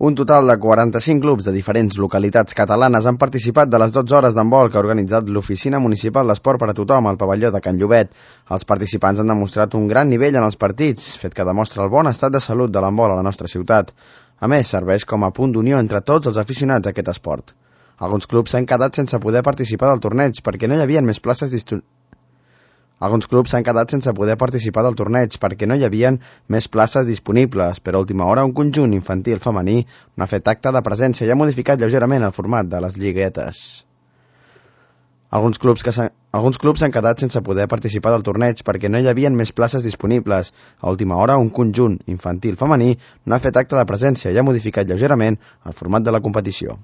Un total de 45 clubs de diferents localitats catalanes han participat de les 12 hores d'handbol que ha organitzat l'Oficina Municipal d'Esport per a Tothom al pavelló de Can Llobet. Els participants han demostrat un gran nivell en els partits, fet que demostra el bon estat de salut de l'handbol a la nostra ciutat. A més, serveix com a punt d'unió entre tots els aficionats a aquest esport. Alguns clubs s'han quedat sense poder participar del torneig perquè no hi havia més places disponibles. Alguns clubs s'han quedat sense poder participar del torneig perquè no hi havia més places disponibles, però a última hora un conjunt infantil femení no ha fet acte de presència i ha modificat lleugerament el format de les lliguetes. Alguns clubs s'han quedat sense poder participar del torneig perquè no hi havia més places disponibles. A última hora un conjunt infantil femení no ha fet acte de presència i ha modificat lleugerament el format de la competició.